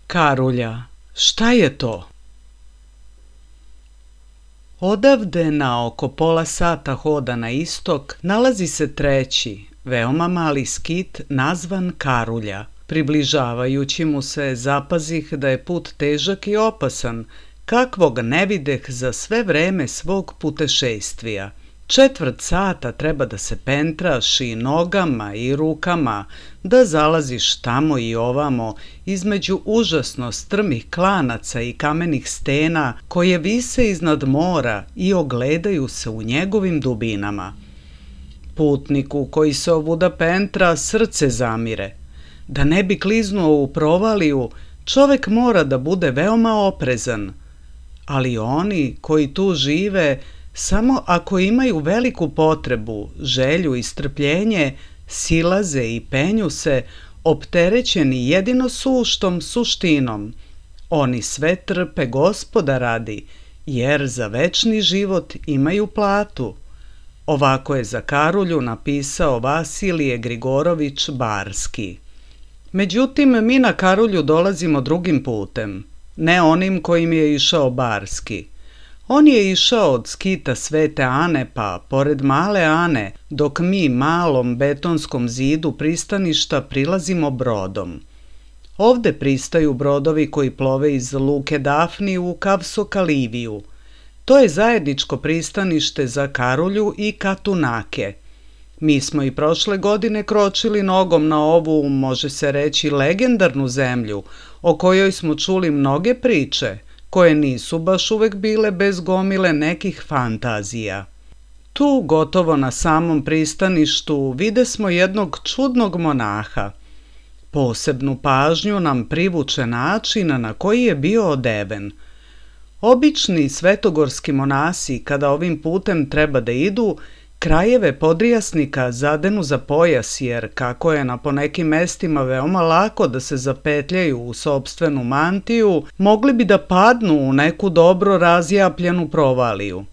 Karulja, šta je to? Odavde na oko pola sata hoda na istok nalazi se treći, veoma mali skit nazvan Karulja. Približavajući mu se zapazih da je put težak i opasan, kakvog ne videh za sve vreme svog putešestvija. 1/4 sata treba da se pentraš i nogama i rukama, da zalaziš tamo i ovamo između užasno strmih klanaca i kamenih stena koje vise iznad mora i ogledaju se u njegovim dubinama. Putniku koji se ovuda pentra srce zamire. Da ne bi kliznuo u provaliju, čovek mora da bude veoma oprezan. Ali oni koji tu žive, samo ako imaju veliku potrebu, želju i strpljenje, silaze i penju se, opterećeni jedino suštom suštinom. Oni sve trpe Gospoda radi, jer za večni život imaju platu. Ovako je za Karulju napisao Vasilije Grigorović Barski. Međutim, mi na Karulju dolazimo drugim putem, ne onim kojim je išao Barski. On je išao od skita Svete Ane pa pored Male Ane, dok mi malom betonskom zidu pristaništa prilazimo brodom. Ovde pristaju brodovi koji plove iz luke Dafni u Kavsokaliviju. To je zajedničko pristanište za Karulju i Katunake. Mi smo i prošle godine kročili nogom na ovu, može se reći, legendarnu zemlju, o kojoj smo čuli mnoge priče, koje nisu baš uvek bile bez gomile nekih fantazija. Tu, gotovo na samom pristaništu, vide smo jednog čudnog monaha. Posebnu pažnju nam privuče način na koji je bio odeven. Obični svetogorski monasi, kada ovim putem treba da idu, krajeve podrijasnika zadenu za pojas, jer kako je na ponekim mestima veoma lako da se zapetljaju u sopstvenu mantiju, mogli bi da padnu u neku dobro razjapljenu provaliju.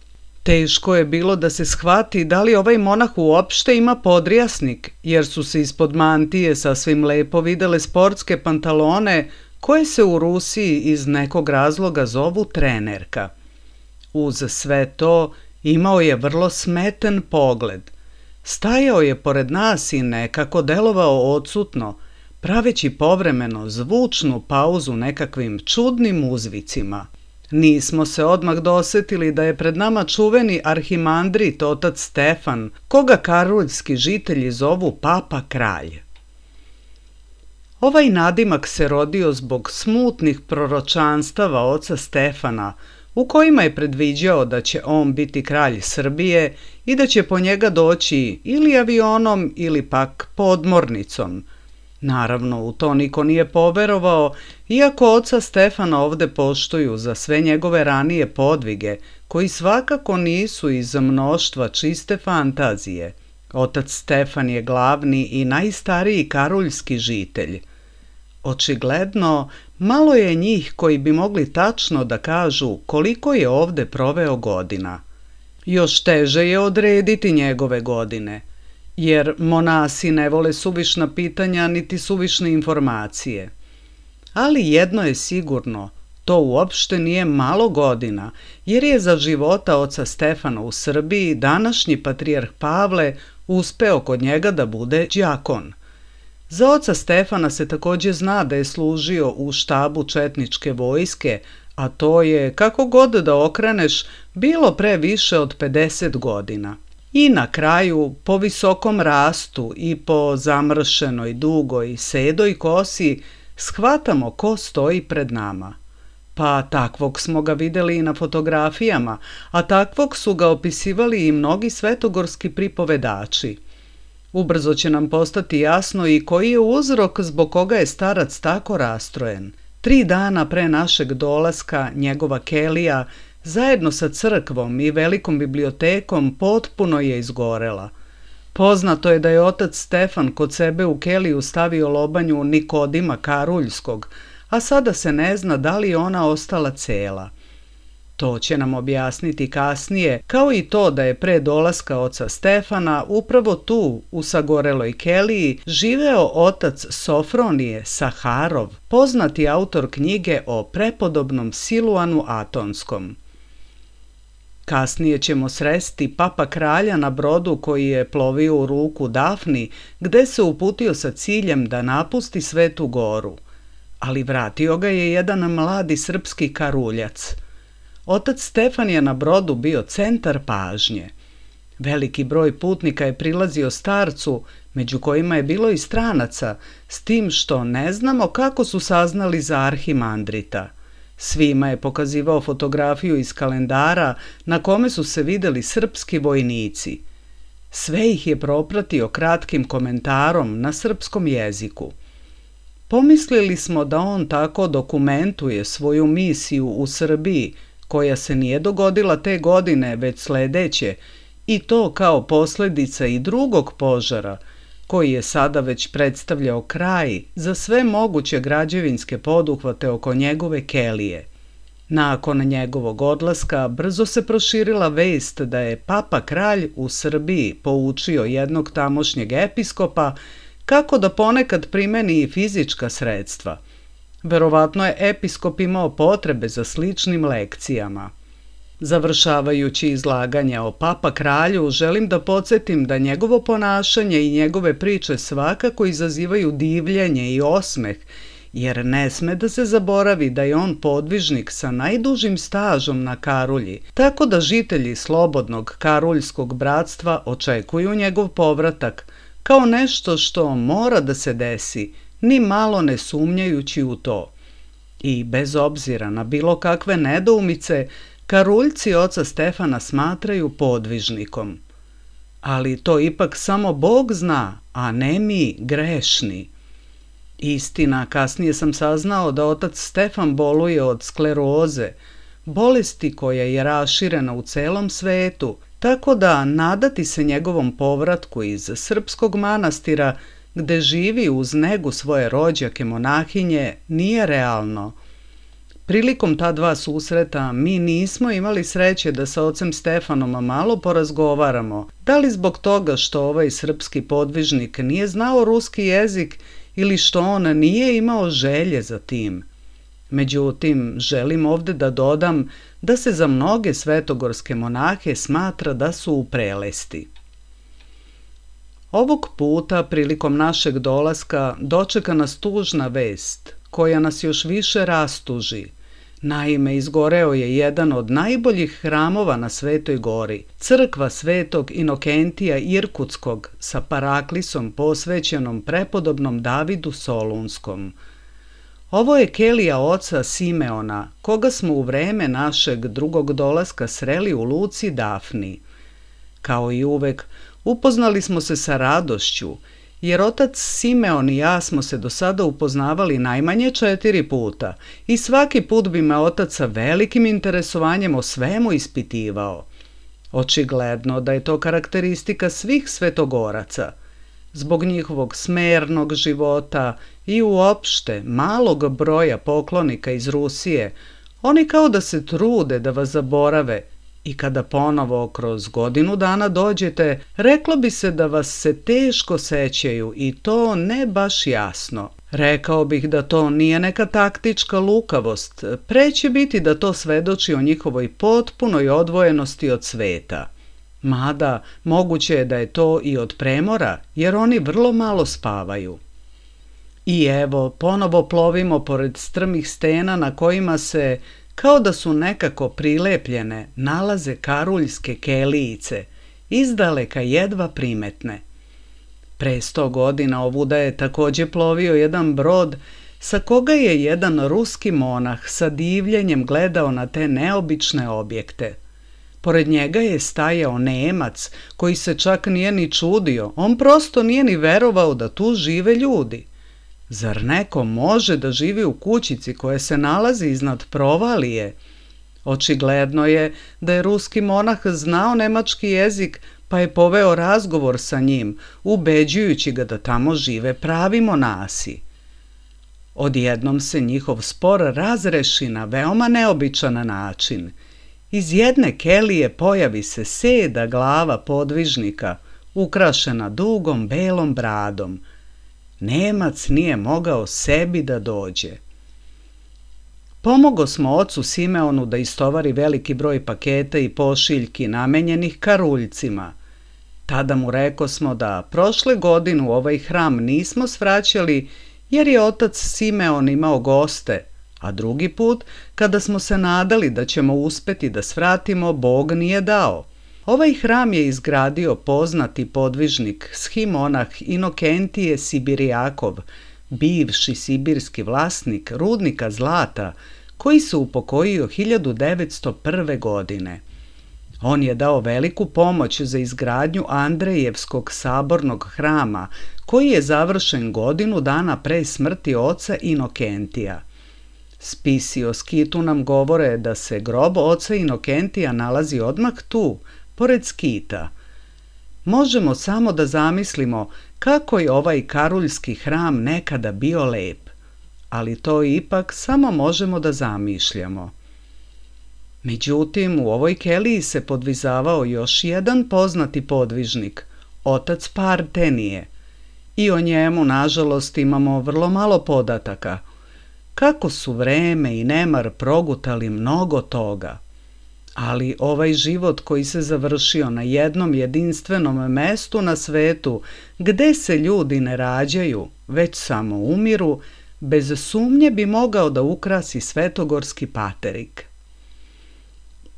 Teško je bilo da se shvati da li ovaj monah uopšte ima podrijasnik, jer su se ispod mantije sasvim lepo videle sportske pantalone koje se u Rusiji iz nekog razloga zovu trenerka. Uz sve to, imao je vrlo smeten pogled. Stajao je pored nas i nekako delovao odsutno, praveći povremeno zvučnu pauzu nekakvim čudnim uzvicima. Nismo se odmah dosetili da je pred nama čuveni arhimandrit otac Stefan, koga karuljski žitelji zovu Papa Kralj. Ovaj nadimak se rodio zbog smutnih proročanstava oca Stefana, u kojima je predviđao da će on biti kralj Srbije i da će po njega doći ili avionom ili pak podmornicom. Naravno, u to niko nije poverovao, iako oca Stefana ovde poštuju za sve njegove ranije podvige, koji svakako nisu iz mnoštva čiste fantazije. Otac Stefan je glavni i najstariji karuljski žitelj. Očigledno, malo je njih koji bi mogli tačno da kažu koliko je ovde proveo godina. Još teže je odrediti njegove godine, jer monasi ne vole suvišna pitanja niti suvišne informacije. Ali jedno je sigurno, to uopšte nije malo godina, jer je za života oca Stefana u Srbiji današnji patrijarh Pavle uspeo kod njega da bude đakon. Za oca Stefana se takođe zna da je služio u štabu četničke vojske, a to je, kako god da okreneš, bilo pre više od 50 godina. I na kraju, po visokom rastu i po zamršenoj, dugoj, sedoj kosi, shvatamo ko stoji pred nama. Pa takvog smo ga videli i na fotografijama, a takvog su ga opisivali i mnogi svetogorski pripovedači. Ubrzo će nam postati jasno i koji je uzrok zbog koga je starac tako rastrojen. 3 dana pre našeg dolaska njegova kelija, zajedno sa crkvom i velikom bibliotekom, potpuno je izgorela. Poznato je da je otac Stefan kod sebe u keliju stavio lobanju Nikodima Karuljskog, a sada se ne zna da li je ona ostala cela. To će nam objasniti kasnije, kao i to da je pre dolaska oca Stefana upravo tu, u sagoreloj keliji, živeo otac Sofronije Saharov, poznati autor knjige o prepodobnom Siluanu Atonskom. Kasnije ćemo sresti papa kralja na brodu koji je plovio u ruku Dafni, gde se uputio sa ciljem da napusti Svetu Goru. Ali vratio ga je jedan mladi srpski karuljac. Otac Stefan je na brodu bio centar pažnje. Veliki broj putnika je prilazio starcu, među kojima je bilo i stranaca, s tim što ne znamo kako su saznali za arhimandrita. Svima je pokazivao fotografiju iz kalendara na kome su se videli srpski vojnici. Sve ih je propratio kratkim komentarom na srpskom jeziku. Pomislili smo da on tako dokumentuje svoju misiju u Srbiji, koja se nije dogodila te godine, već sledeće, i to kao posljedica i drugog požara, koji je sada već predstavljao kraj za sve moguće građevinske poduhvate oko njegove kelije. Nakon njegovog odlaska brzo se proširila vest da je papa kralj u Srbiji poučio jednog tamošnjeg episkopa kako da ponekad primeni i fizička sredstva. Verovatno je episkop imao potrebe za sličnim lekcijama. Završavajući izlaganja o papa kralju, želim da podsjetim da njegovo ponašanje i njegove priče svakako izazivaju divljenje i osmeh, jer ne sme da se zaboravi da je on podvižnik sa najdužim stažom na Karulji, tako da žitelji slobodnog karuljskog bratstva očekuju njegov povratak kao nešto što mora da se desi, ni malo ne sumnjajući u to. I bez obzira na bilo kakve nedoumice, Karuljci oca Stefana smatraju podvižnikom. Ali to ipak samo Bog zna, a ne mi grešni. Istina, kasnije sam saznao da otac Stefan boluje od skleroze, bolesti koja je raširena u celom svetu, tako da nadati se njegovom povratku iz srpskog manastira, gde živi uz negu svoje rođake monahinje, nije realno. Prilikom ta dva susreta mi nismo imali sreće da sa ocem Stefanom malo porazgovaramo, da li zbog toga što ovaj srpski podvižnik nije znao ruski jezik ili što on nije imao želje za tim. Međutim, želim ovde da dodam da se za mnoge svetogorske monahe smatra da su u prelesti. Ovog puta, prilikom našeg dolaska, dočeka nas tužna vest, koja nas još više rastuži. Naime, izgoreo je jedan od najboljih hramova na Svetoj Gori, crkva Svetog Inokentija Irkutskog sa paraklisom posvećenom prepodobnom Davidu Solunskom. Ovo je kelija oca Simeona, koga smo u vreme našeg drugog dolaska sreli u luci Dafni. Kao i uvek, upoznali smo se sa radošću, jer otac Simeon i ja smo se do sada upoznavali najmanje 4 puta i svaki put bi me otac sa velikim interesovanjem o svemu ispitivao. Očigledno da je to karakteristika svih svetogoraca. Zbog njihovog smernog života i uopšte malog broja poklonika iz Rusije, oni kao da se trude da vas zaborave, i kada ponovo kroz godinu dana dođete, reklo bi se da vas se teško sećaju i to ne baš jasno. Rekao bih da to nije neka taktička lukavost, pre će biti da to svedoči o njihovoj potpunoj odvojenosti od sveta. Mada, moguće je da je to i od premora, jer oni vrlo malo spavaju. I evo, ponovo plovimo pored strmih stena na kojima se, kao da su nekako prilepljene, nalaze karuljske kelijice, izdaleka jedva primetne. Pre 100 godina ovuda je takođe plovio jedan brod sa koga je jedan ruski monah sa divljenjem gledao na te neobične objekte. Pored njega je stajao Nemac koji se čak nije ni čudio, on prosto nije ni verovao da tu žive ljudi. Zar neko može da živi u kućici koja se nalazi iznad provalije? Očigledno je da je ruski monah znao nemački jezik, pa je poveo razgovor sa njim, ubeđujući ga da tamo žive pravi monasi. Odjednom se njihov spor razreši na veoma neobičan način. Iz jedne kelije pojavi se 7 glava podvižnika, ukrašena dugom belom bradom. Nemac nije mogao sebi da dođe. Pomogo smo ocu Simeonu da istovari veliki broj paketa i pošiljki namenjenih karuljcima. Tada mu rekosmo da prošle godine u ovaj hram nismo svraćali jer je otac Simeon imao goste, a drugi put, kada smo se nadali da ćemo uspeti da svratimo, Bog nije dao. Ovaj hram je izgradio poznati podvižnik, shimonah Inokentije Sibirijakov, bivši sibirski vlasnik rudnika zlata, koji se upokojio 1901. godine. On je dao veliku pomoć za izgradnju Andrejevskog sabornog hrama, koji je završen godinu dana pre smrti oca Inokentija. Spisi o Skitu nam govore da se grob oca Inokentija nalazi odmah tu, pored Skita. Možemo samo da zamislimo kako je ovaj karuljski hram nekada bio lep, ali to ipak samo možemo da zamišljamo. Međutim, u ovoj keliji se podvizavao još jedan poznati podvižnik, otac Partenije, i o njemu, nažalost, imamo vrlo malo podataka. Kako su vreme i nemar progutali mnogo toga. Ali ovaj život koji se završio na jednom jedinstvenom mestu na svetu, gde se ljudi ne rađaju, već samo umiru, bez sumnje bi mogao da ukrasi svetogorski paterik.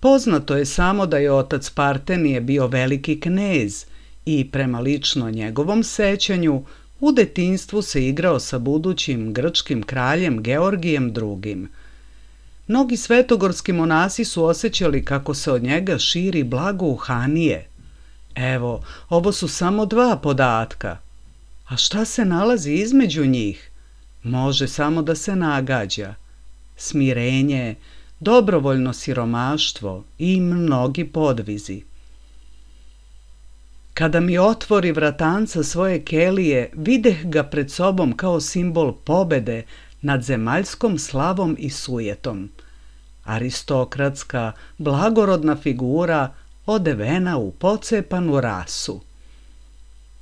Poznato je samo da je otac Partenije bio veliki knez i prema lično njegovom sećanju u detinjstvu se igrao sa budućim grčkim kraljem Georgijem II. Mnogi svetogorski monasi su osjećali kako se od njega širi blagouhanije. Evo, ovo su samo 2 podatka. A šta se nalazi između njih? Može samo da se nagađa. Smirenje, dobrovoljno siromaštvo i mnogi podvizi. Kada mi otvori vratanca svoje kelije, videh ga pred sobom kao simbol pobede nad zemaljskom slavom i sujetom. Aristokratska, blagorodna figura odevena u pocepanu rasu.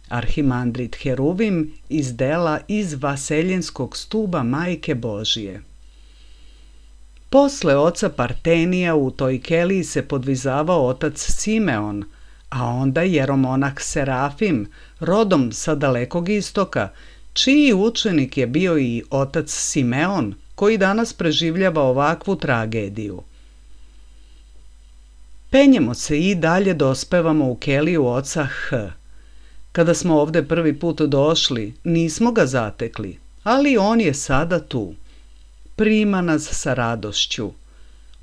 Arhimandrit Heruvim iz dela Iz vaseljenskog stuba Majke Božije. Posle oca Partenija u toj keliji se podvizavao otac Simeon, a onda jeromonah Serafim, rodom sa dalekog istoka, čiji učenik je bio i otac Simeon, koji danas preživljava ovakvu tragediju. Penjemo se i dalje dospevamo u keliju oca H. Kada smo ovde prvi put došli, nismo ga zatekli, ali on je sada tu. Prima nas sa radošću.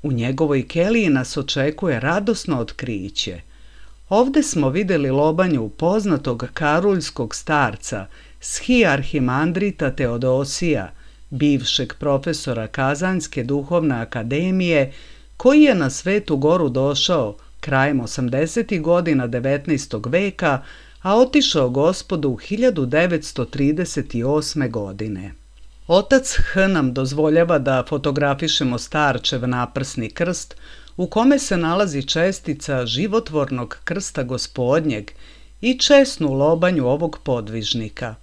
U njegovoj keliji nas očekuje radosno otkriće. Ovde smo videli lobanju poznatog karuljskog starca, arhimandrita Teodosija, bivšeg profesora Kazanjske duhovne akademije, koji je na Svetu Goru došao krajem 80. godina 19. veka, a otišao Gospodu 1938. godine. Otac H nam dozvoljava da fotografišemo starčev naprsni krst, u kome se nalazi čestica životvornog krsta Gospodnjeg i česnu lobanju ovog podvižnika.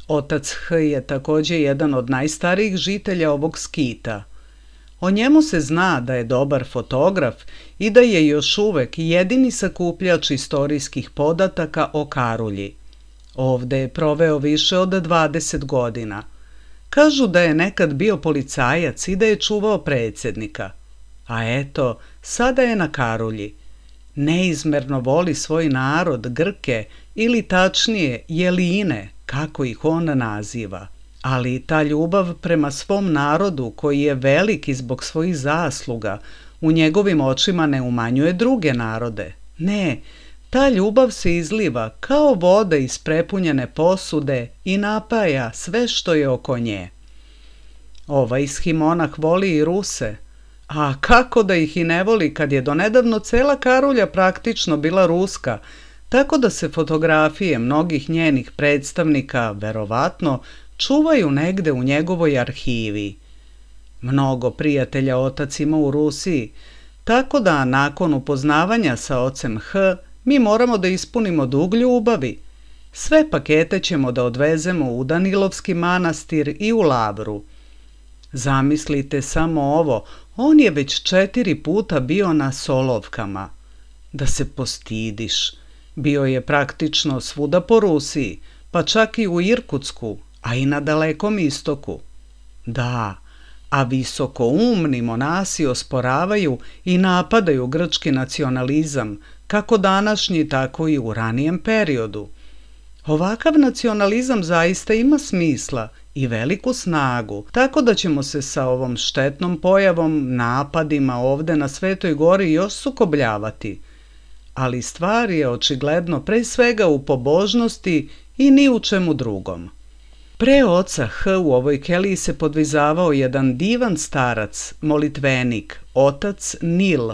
Otac H je također jedan od najstarijih žitelja ovog Skita. O njemu se zna da je dobar fotograf i da je još uvek jedini sakupljač istorijskih podataka o Karulji. Ovde je proveo više od 20 godina. Kažu da je nekad bio policajac i da je čuvao predsjednika. A eto, sada je na Karulji. Neizmerno voli svoj narod, Grke, ili tačnije Jeline, kako ih on naziva. Ali ta ljubav prema svom narodu, koji je veliki zbog svojih zasluga, u njegovim očima ne umanjuje druge narode. Ne, ta ljubav se izliva kao voda iz prepunjene posude i napaja sve što je oko nje. Ovaj shimonah voli i Ruse, a kako da ih i ne voli kad je donedavno cela Karulja praktično bila ruska, tako da se fotografije mnogih njenih predstavnika, verovatno, čuvaju negde u njegovoj arhivi. Mnogo prijatelja otac ima u Rusiji, Tako da nakon upoznavanja sa ocem H, mi moramo da ispunimo dug ljubavi. Sve pakete ćemo da odvezemo u Danilovski manastir i u Lavru. Zamislite samo ovo, on je već 4 puta bio na Solovkama. Da se postidiš. Bio je praktično svuda po Rusiji, pa čak i u Irkutsku, a i na Dalekom istoku. Da, a visokoumni monasi osporavaju i napadaju grčki nacionalizam, kako današnji, tako i u ranijem periodu. Ovakav nacionalizam zaista ima smisla i veliku snagu, tako da ćemo se sa ovom štetnom pojavom, napadima ovde na Svetoj gori još sukobljavati. Ali stvar je očigledno pre svega u pobožnosti i ni u čemu drugom. Pre oca H u ovoj keliji se podvizavao jedan divan starac, molitvenik, otac Nil,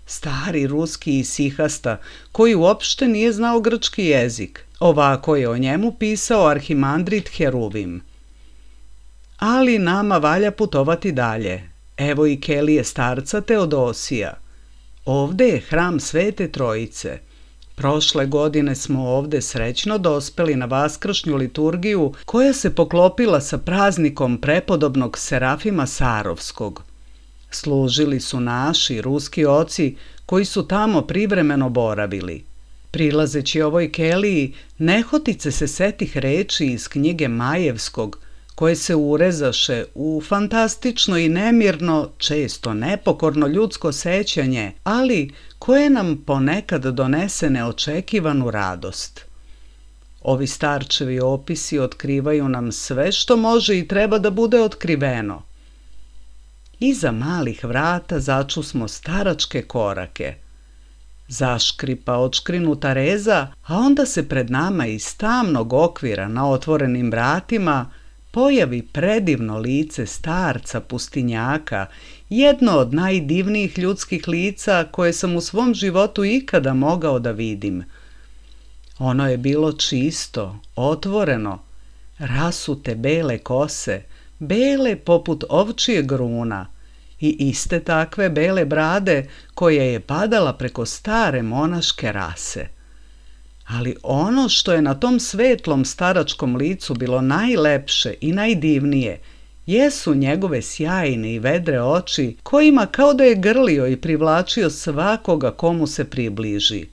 stari ruski isihasta, koji uopšte nije znao grčki jezik. Ovako je o njemu pisao arhimandrit Heruvim. Ali nama valja putovati dalje. Evo i kelije starca Teodosija. Ovde je hram Svete Trojice. Prošle godine smo ovde srećno dospeli na vaskršnju liturgiju koja se poklopila sa praznikom prepodobnog Serafima Sarovskog. Služili su naši ruski oci koji su tamo privremeno boravili. Prilazeći ovoj keliji, nehotice se setih reči iz knjige Majevskog, koje se urezaše u fantastično i nemirno, često nepokorno ljudsko sećanje, ali koje nam ponekad donese neočekivanu radost. Ovi starčevi opisi otkrivaju nam sve što može i treba da bude otkriveno. Iza malih vrata začusmo staračke korake. Zaškripa odškrinuta reza, a onda se pred nama iz tamnog okvira na otvorenim vratima pojavi predivno lice starca pustinjaka, jedno od najdivnijih ljudskih lica koje sam u svom životu ikada mogao da vidim. Ono je bilo čisto, otvoreno, rasute bele kose, bele poput ovčijeg gruna i iste takve bele brade koja je padala preko stare monaške rase. Ali ono što je na tom svetlom staračkom licu bilo najlepše i najdivnije, jesu njegove sjajne i vedre oči kojima kao da je grlio i privlačio svakoga komu se približi.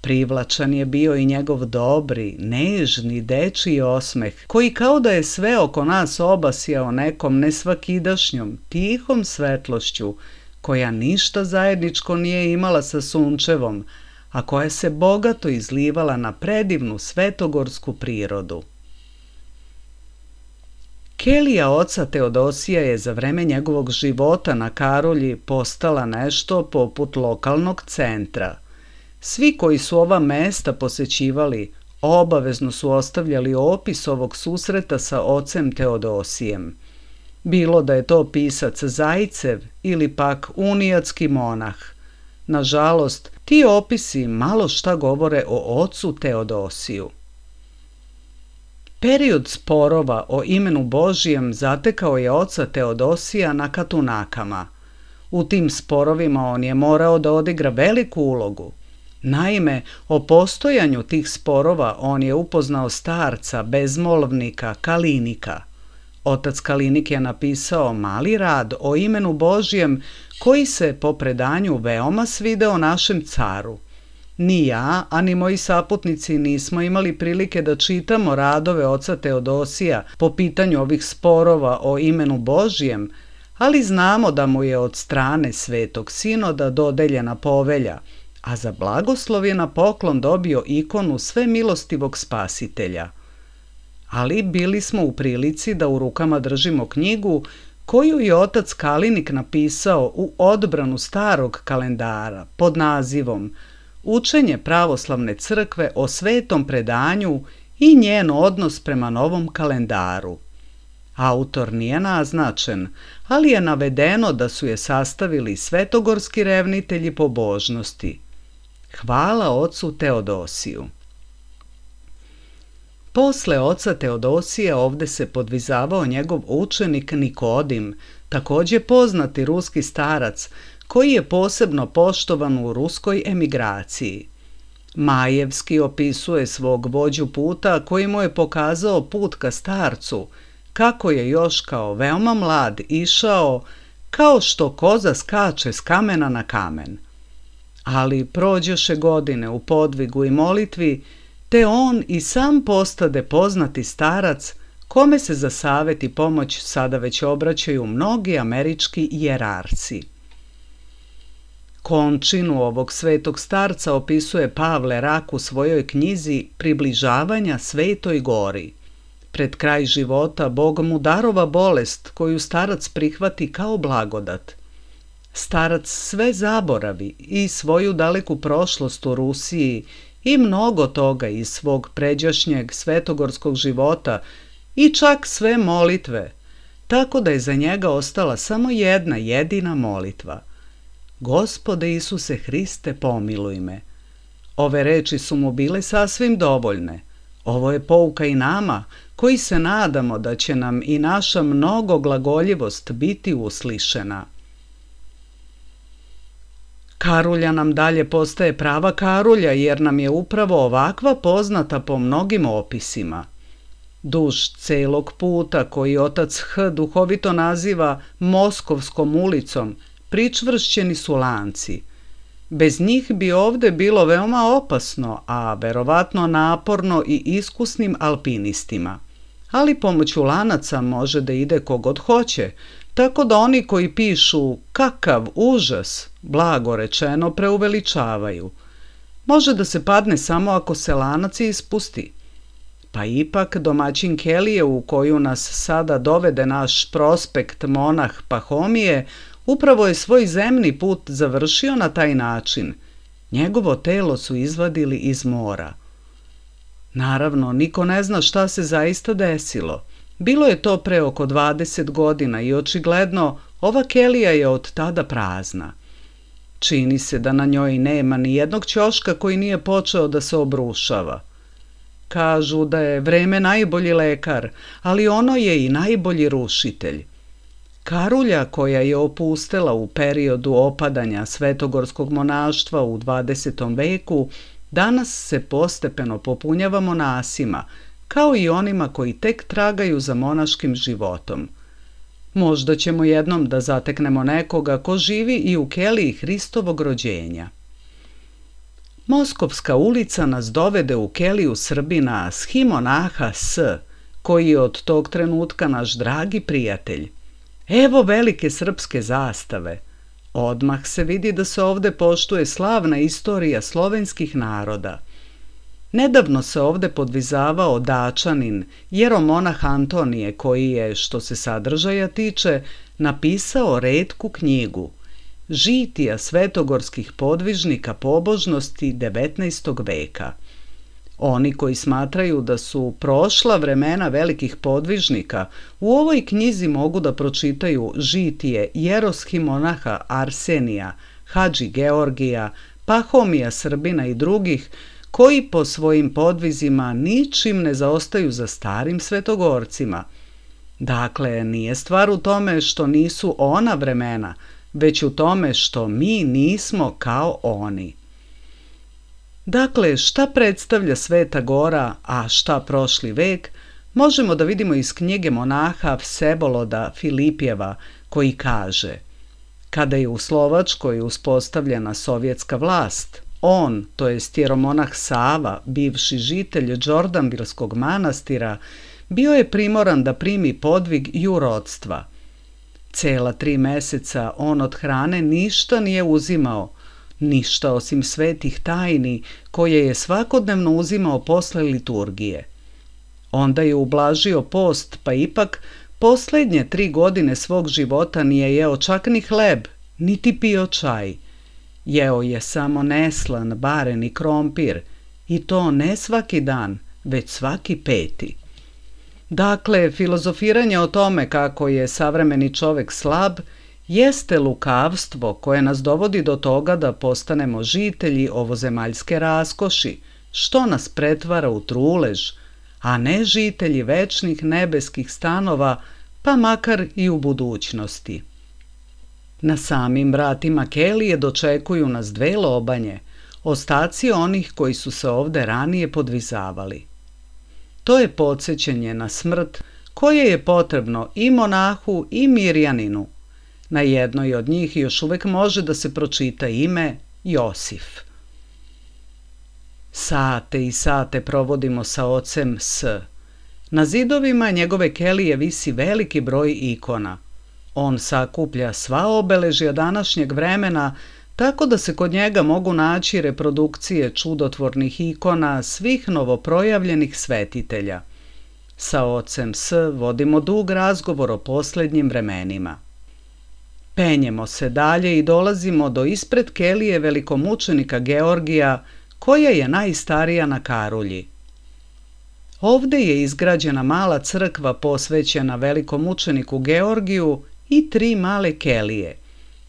Privlačan je bio i njegov dobri, nežni, dečiji osmeh, koji kao da je sve oko nas obasjao nekom nesvakidašnjom, tihom svetlošću, koja ništa zajedničko nije imala sa sunčevom, a koja se bogato izlivala na predivnu svetogorsku prirodu. Kelija oca Teodosija je za vreme njegovog života na Karolji postala nešto poput lokalnog centra. Svi koji su ova mesta posećivali obavezno su ostavljali opis ovog susreta sa ocem Teodosijem. Bilo da je to pisac Zajcev ili pak unijatski monah. Nažalost, ti opisi malo šta govore o ocu Teodosiju. Period sporova o imenu Božijem zatekao je oca Teodosija na Katunakama. U tim sporovima on je morao da odigra veliku ulogu. Naime, o postojanju tih sporova on je upoznao starca, bezmolvnika Kalinika. Otac Kalinik je napisao mali rad o imenu Božijem koji se po predanju veoma svideo našem caru. Ni ja, a ni moji saputnici nismo imali prilike da čitamo radove oca Teodosija po pitanju ovih sporova o imenu Božijem, ali znamo da mu je od strane Svetog Sinoda dodeljena povelja, a za blagoslov je na poklon dobio ikonu Svemilostivog Spasitelja. Ali bili smo u prilici da u rukama držimo knjigu koju je otac Kalinik napisao u odbranu starog kalendara pod nazivom Učenje pravoslavne crkve o svetom predanju i njen odnos prema novom kalendaru. Autor nije naznačen, ali je navedeno da su je sastavili svetogorski revnitelji pobožnosti. Hvala ocu Teodosiju. Posle oca Teodosija ovde se podvizavao njegov učenik Nikodim, takođe poznati ruski starac, koji je posebno poštovan u ruskoj emigraciji. Majevski opisuje svog vođu puta koji mu je pokazao put ka starcu, kako je još kao veoma mlad išao, kao što koza skače s kamena na kamen. Ali prođoše godine u podvigu i molitvi, te on i sam postade poznati starac, kome se za savet i pomoć sada već obraćaju mnogi američki jerarci. Končinu ovog svetog starca opisuje Pavle Rak u svojoj knjizi Približavanja Svetoj gori. Pred kraj života Bog mu darova bolest koju starac prihvati kao blagodat. Starac sve zaboravi i svoju daleku prošlost u Rusiji i mnogo toga iz svog pređašnjeg svetogorskog života i čak sve molitve, tako da je za njega ostala samo jedna jedina molitva. Gospode Isuse Hriste, pomiluj me. Ove reči su mu bile sasvim dovoljne. Ovo je pouka i nama, koji se nadamo da će nam i naša mnogoglagoljivost biti uslišena. Karulja nam dalje postaje prava Karulja, jer nam je upravo ovakva poznata po mnogim opisima. Duž celog puta, koji otac H. duhovito naziva Moskovskom ulicom, pričvršćeni su lanci. Bez njih bi ovde bilo veoma opasno, a verovatno naporno i iskusnim alpinistima. Ali pomoću lanaca može da ide kogod hoće, tako da oni koji pišu kakav užas, blago rečeno, preuveličavaju. Može da se padne samo ako se lanac ispusti. Pa ipak domaćin kelije u koju nas sada dovede naš prospekt monah Pahomije upravo je svoj zemni put završio na taj način. Njegovo telo su izvadili iz mora. Naravno, niko ne zna šta se zaista desilo. Bilo je to pre oko 20 godina i očigledno ova kelija je od tada prazna. Čini se da na njoj nema ni jednog ćoška koji nije počeo da se obrušava. Kažu da je vreme najbolji lekar, ali ono je i najbolji rušitelj. Karulja, koja je opustela u periodu opadanja svetogorskog monaštva u 20. veku, danas se postepeno popunjava monasima, kao i onima koji tek tragaju za monaškim životom. Možda ćemo jednom da zateknemo nekoga ko živi i u keliji Hristovog rođenja. Moskovska ulica nas dovede u keliju Srbina Schimonaha S, koji je od tog trenutka naš dragi prijatelj. Evo velike srpske zastave. Odmah se vidi da se ovde poštuje slavna istorija slovenskih naroda. Nedavno se ovde podvizavao Dačanin, jeromonah Antonije, koji je, što se sadržaja tiče, napisao retku knjigu Žitija svetogorskih podvižnika pobožnosti 19. veka. Oni koji smatraju da su prošla vremena velikih podvižnika, u ovoj knjizi mogu da pročitaju žitije jeroshimonaha Arsenija, Hadži Georgija, Pahomija Srbina i drugih, koji po svojim podvizima ničim ne zaostaju za starim svetogorcima. Dakle, nije stvar u tome što nisu ona vremena, već u tome što mi nismo kao oni. Dakle, šta predstavlja Sveta Gora, a šta prošli vek, možemo da vidimo iz knjige monaha Vseboloda Filipjeva, koji kaže: kada je u Slovačkoj uspostavljena sovjetska vlast, on, to jest jeromonah Sava, bivši žitelj Đorđanbilskog manastira, bio je primoran da primi podvig jurodstva. Cela 3 meseca on od hrane ništa nije uzimao, ništa osim svetih tajni koje je svakodnevno uzimao posle liturgije. Onda je ublažio post, pa ipak poslednje 3 godine svog života nije jeo čak ni hleb, niti pio čaj. Jeo je samo neslan, baren i krompir, i to ne svaki dan, već svaki 5. Dakle, filozofiranje o tome kako je savremeni čovek slab jeste lukavstvo koje nas dovodi do toga da postanemo žitelji ovozemaljske raskoši, što nas pretvara u trulež, a ne žitelji večnih nebeskih stanova, pa makar i u budućnosti. Na samim vratima kelije dočekuju nas dve lobanje, ostaci onih koji su se ovde ranije podvizavali. To je podsjećanje na smrt koje je potrebno i monahu i mirjaninu. Na jednoj od njih još uvek može da se pročita ime Josif. Sate i sate provodimo sa ocem S. Na zidovima njegove kelije visi veliki broj ikona. On sakuplja sva obeležja današnjeg vremena, tako da se kod njega mogu naći reprodukcije čudotvornih ikona svih novoprojavljenih svetitelja. Sa ocem S vodimo dug razgovor o posljednjim vremenima. Penjemo se dalje i dolazimo do ispred kelije velikomučenika Georgija, koja je najstarija na Karulji. Ovde je izgrađena mala crkva posvećena velikomučeniku Georgiju i 3 male kelije.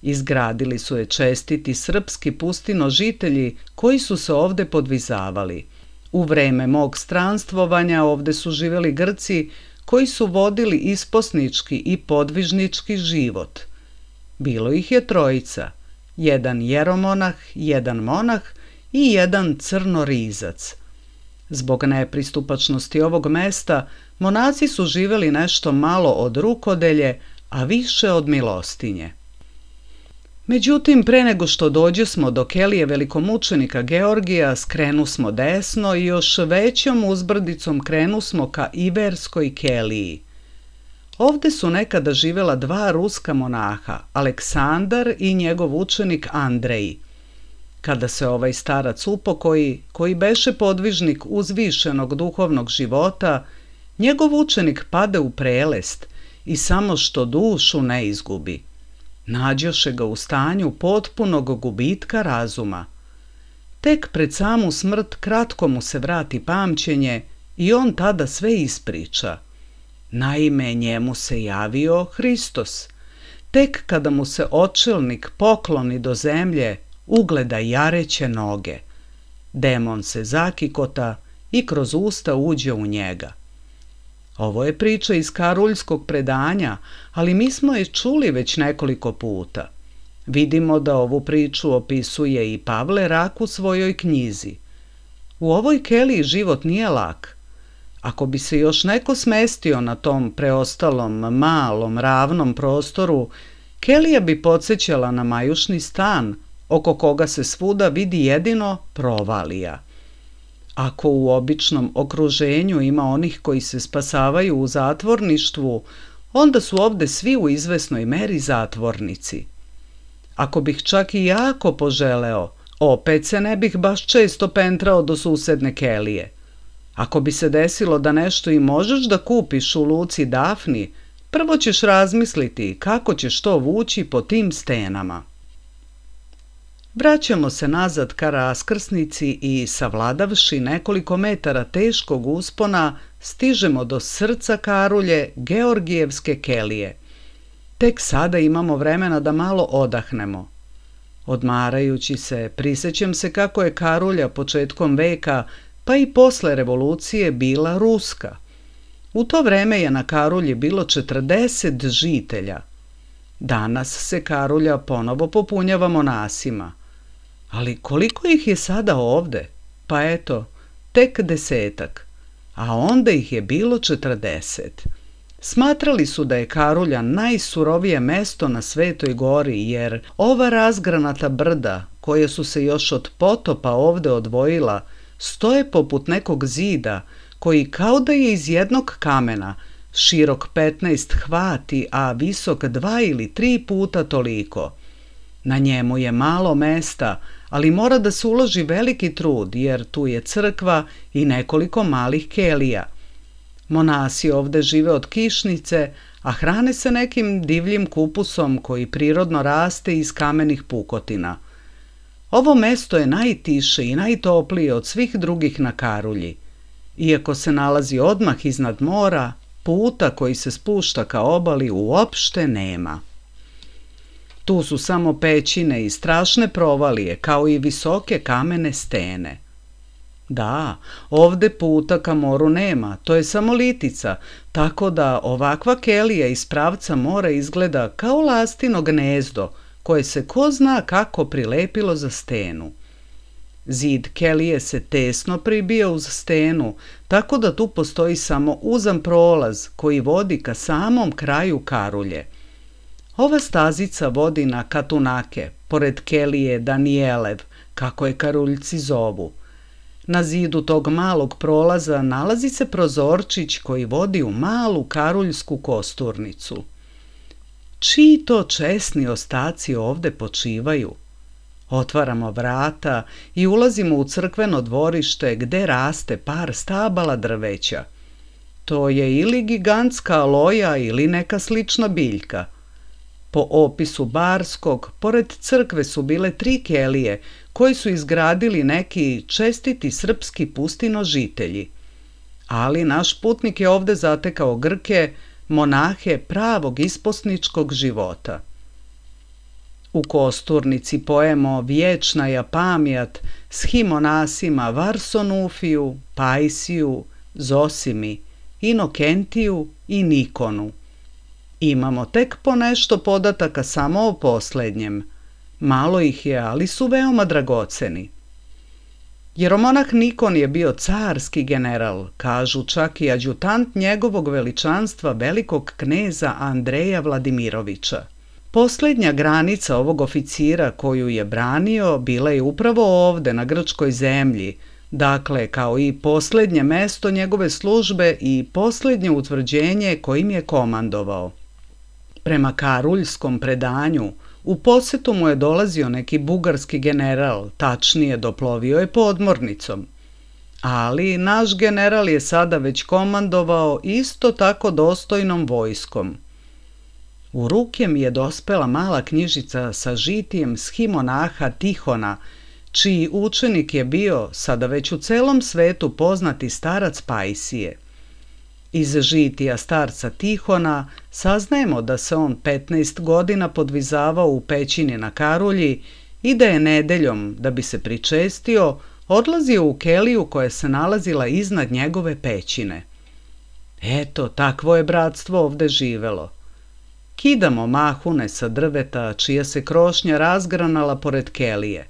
Izgradili su je čestiti srpski pustinožitelji koji su se ovde podvizavali. U vreme mog stranstvovanja ovde su živjeli Grci koji su vodili isposnički i podvižnički život. Bilo ih je 3, jedan jeromonah, jedan monah i jedan crnorizac. Zbog nepristupačnosti ovog mesta, monaci su živjeli nešto malo od rukodelje, a više od milostinje. Međutim, pre nego što dođesmo do kelije velikomučenika Georgija, skrenusmo desno i još većom uzbrdicom krenusmo ka Iverskoj keliji. Ovde su nekada živjela 2 ruska monaha, Aleksandar i njegov učenik Andrej. Kada se ovaj starac upokoji, koji beše podvižnik uzvišenog duhovnog života, njegov učenik pade u prelest i samo što dušu ne izgubi. Nađoše ga u stanju potpunog gubitka razuma. Tek pred samu smrt kratko mu se vrati pamćenje i on tada sve ispriča. Naime, njemu se javio Hristos. Tek kada mu se očelnik pokloni do zemlje, ugleda jareće noge. Demon se zakikota i kroz usta uđe u njega. Ovo je priča iz karuljskog predanja, ali mi smo je čuli već nekoliko puta. Vidimo da ovu priču opisuje i Pavle Rak u svojoj knjizi. U ovoj keliji život nije lak. Ako bi se još neko smestio na tom preostalom, malom, ravnom prostoru, kelija bi podsjećala na majušni stan, oko koga se svuda vidi jedino provalija. Ako u običnom okruženju ima onih koji se spasavaju u zatvorništvu, onda su ovde svi u izvesnoj meri zatvornici. Ako bih čak i jako poželeo, opet se ne bih baš često pentrao do susedne kelije. Ako bi se desilo da nešto i možeš da kupiš u luci Dafni, prvo ćeš razmisliti kako ćeš to vući po tim stenama. Vraćamo se nazad ka raskrsnici i, savladavši nekoliko metara teškog uspona, stižemo do srca Karulje, Georgijevske kelije. Tek sada imamo vremena da malo odahnemo. Odmarajući se, prisećam se kako je Karulja početkom veka, pa i posle revolucije, bila ruska. U to vreme je na Karulji bilo 40 žitelja. Danas se Karulja ponovo popunjava monasima. Ali koliko ih je sada ovde? Pa eto, tek 10, a onda ih je bilo 40. Smatrali su da je Karulja najsurovije mesto na Svetoj gori, jer ova razgranata brda, koje su se još od potopa ovde odvojila, stoje poput nekog zida, koji kao da je iz jednog kamena, širok 15 hvati, a visok 2 ili 3 puta toliko. Na njemu je malo mesta, ali mora da se uloži veliki trud, jer tu je crkva i nekoliko malih kelija. Monasi ovde žive od kišnice, a hrane se nekim divljim kupusom koji prirodno raste iz kamenih pukotina. Ovo mesto je najtiše i najtoplije od svih drugih na Karulji. Iako se nalazi odmah iznad mora, puta koji se spušta ka obali uopšte nema. Tu su samo pećine i strašne provalije, kao i visoke kamene stene. Da, ovde puta ka moru nema, to je samo litica, tako da ovakva kelija iz pravca mora izgleda kao lastino gnezdo, koje se ko zna kako prilepilo za stenu. Zid kelije se tesno pribija uz stenu, tako da tu postoji samo uzan prolaz koji vodi ka samom kraju karulje. Ova stazica vodi na Katunake, pored kelije Danijelev, kako je karuljci zovu. Na zidu tog malog prolaza nalazi se prozorčić koji vodi u malu karuljsku kosturnicu. Čiji to česni ostaci ovde počivaju? Otvaramo vrata i ulazimo u crkveno dvorište gde raste par stabala drveća. To je ili gigantska aloja ili neka slična biljka. Po opisu Barskog, pored crkve su bile 3 kelije koji su izgradili neki čestiti srpski pustinožitelji. Ali naš putnik je ovde zatekao Grke, monahe pravog isposničkog života. U kosturnici pojemo Vječna je pamjat schimonasima Varsonufiju, Pajsiju, Zosimi, Inokentiju i Nikonu. Imamo tek po nešto podataka samo o poslednjem. Malo ih je, ali su veoma dragoceni. Jeromonah Nikon je bio carski general, kažu čak i adjutant njegovog veličanstva velikog kneza Andreja Vladimirovića. Poslednja granica ovog oficira koju je branio bila je upravo ovde na grčkoj zemlji, dakle kao i poslednje mesto njegove službe i poslednje utvrđenje kojim je komandovao. Prema karuljskom predanju, u posetu mu je dolazio neki bugarski general, tačnije doplovio je podmornicom. Ali naš general je sada već komandovao isto tako dostojnom vojskom. U ruke mi je dospela mala knjižica sa žitijem schimonaha Tihona, čiji učenik je bio sada već u celom svetu poznati starac Pajsije. Iz žitija starca Tihona saznajemo da se on 15 godina podvizavao u pećini na Karulji i da je nedeljom, da bi se pričestio, odlazio u keliju koja se nalazila iznad njegove pećine. Eto, takvo je bratstvo ovde živelo. Kidamo mahune sa drveta čija se krošnja razgranala pored kelije.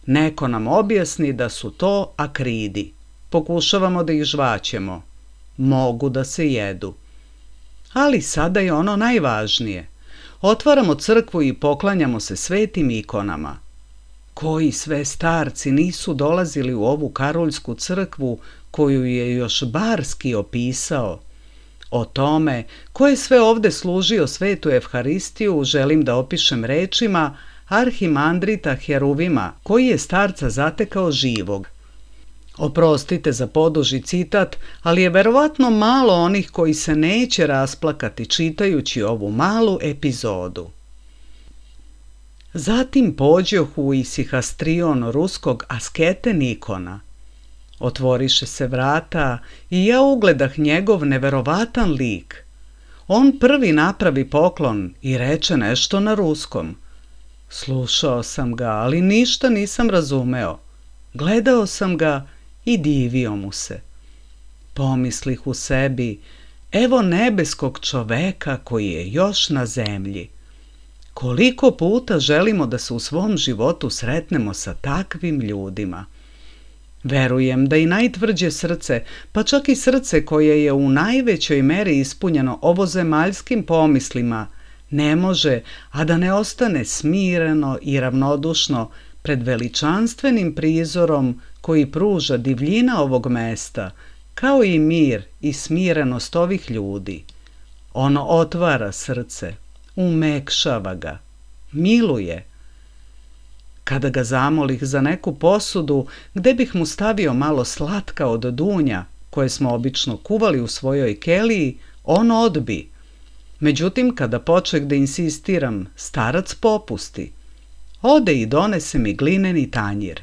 Neko nam objasni da su to akridi. Pokušavamo da ih žvaćemo. Mogu da se jedu. Ali sada je ono najvažnije. Otvaramo crkvu i poklanjamo se svetim ikonama. Koji sve starci nisu dolazili u ovu karuljsku crkvu koju je još Barski opisao? O tome ko je sve ovde služio svetu Evharistiju želim da opišem rečima arhimandrita Heruvima, koji je starca zatekao živog. Oprostite za poduži citat, ali je verovatno malo onih koji se neće rasplakati čitajući ovu malu epizodu. Zatim pođohu u isihastrion ruskog askete Nikona. Otvoriše se vrata i ja ugledah njegov neverovatan lik. On prvi napravi poklon i reče nešto na ruskom. Slušao sam ga, ali ništa nisam razumeo. Gledao sam ga i divio mu se. Pomislih u sebi, evo nebeskog čoveka koji je još na zemlji. Koliko puta želimo da se u svom životu sretnemo sa takvim ljudima. Verujem da i najtvrđe srce, pa čak i srce koje je u najvećoj meri ispunjeno ovozemaljskim pomislima, ne može, a da ne ostane smireno i ravnodušno pred veličanstvenim prizorom koji pruža divljina ovog mesta, kao i mir i smirenost ovih ljudi. Ono otvara srce, umekšava ga, miluje. Kada ga zamolih za neku posudu gde bih mu stavio malo slatka od dunja, koje smo obično kuvali u svojoj keliji, on odbi. Međutim, kada počeh da insistiram, starac popusti. Ode i donese mi glineni tanjir.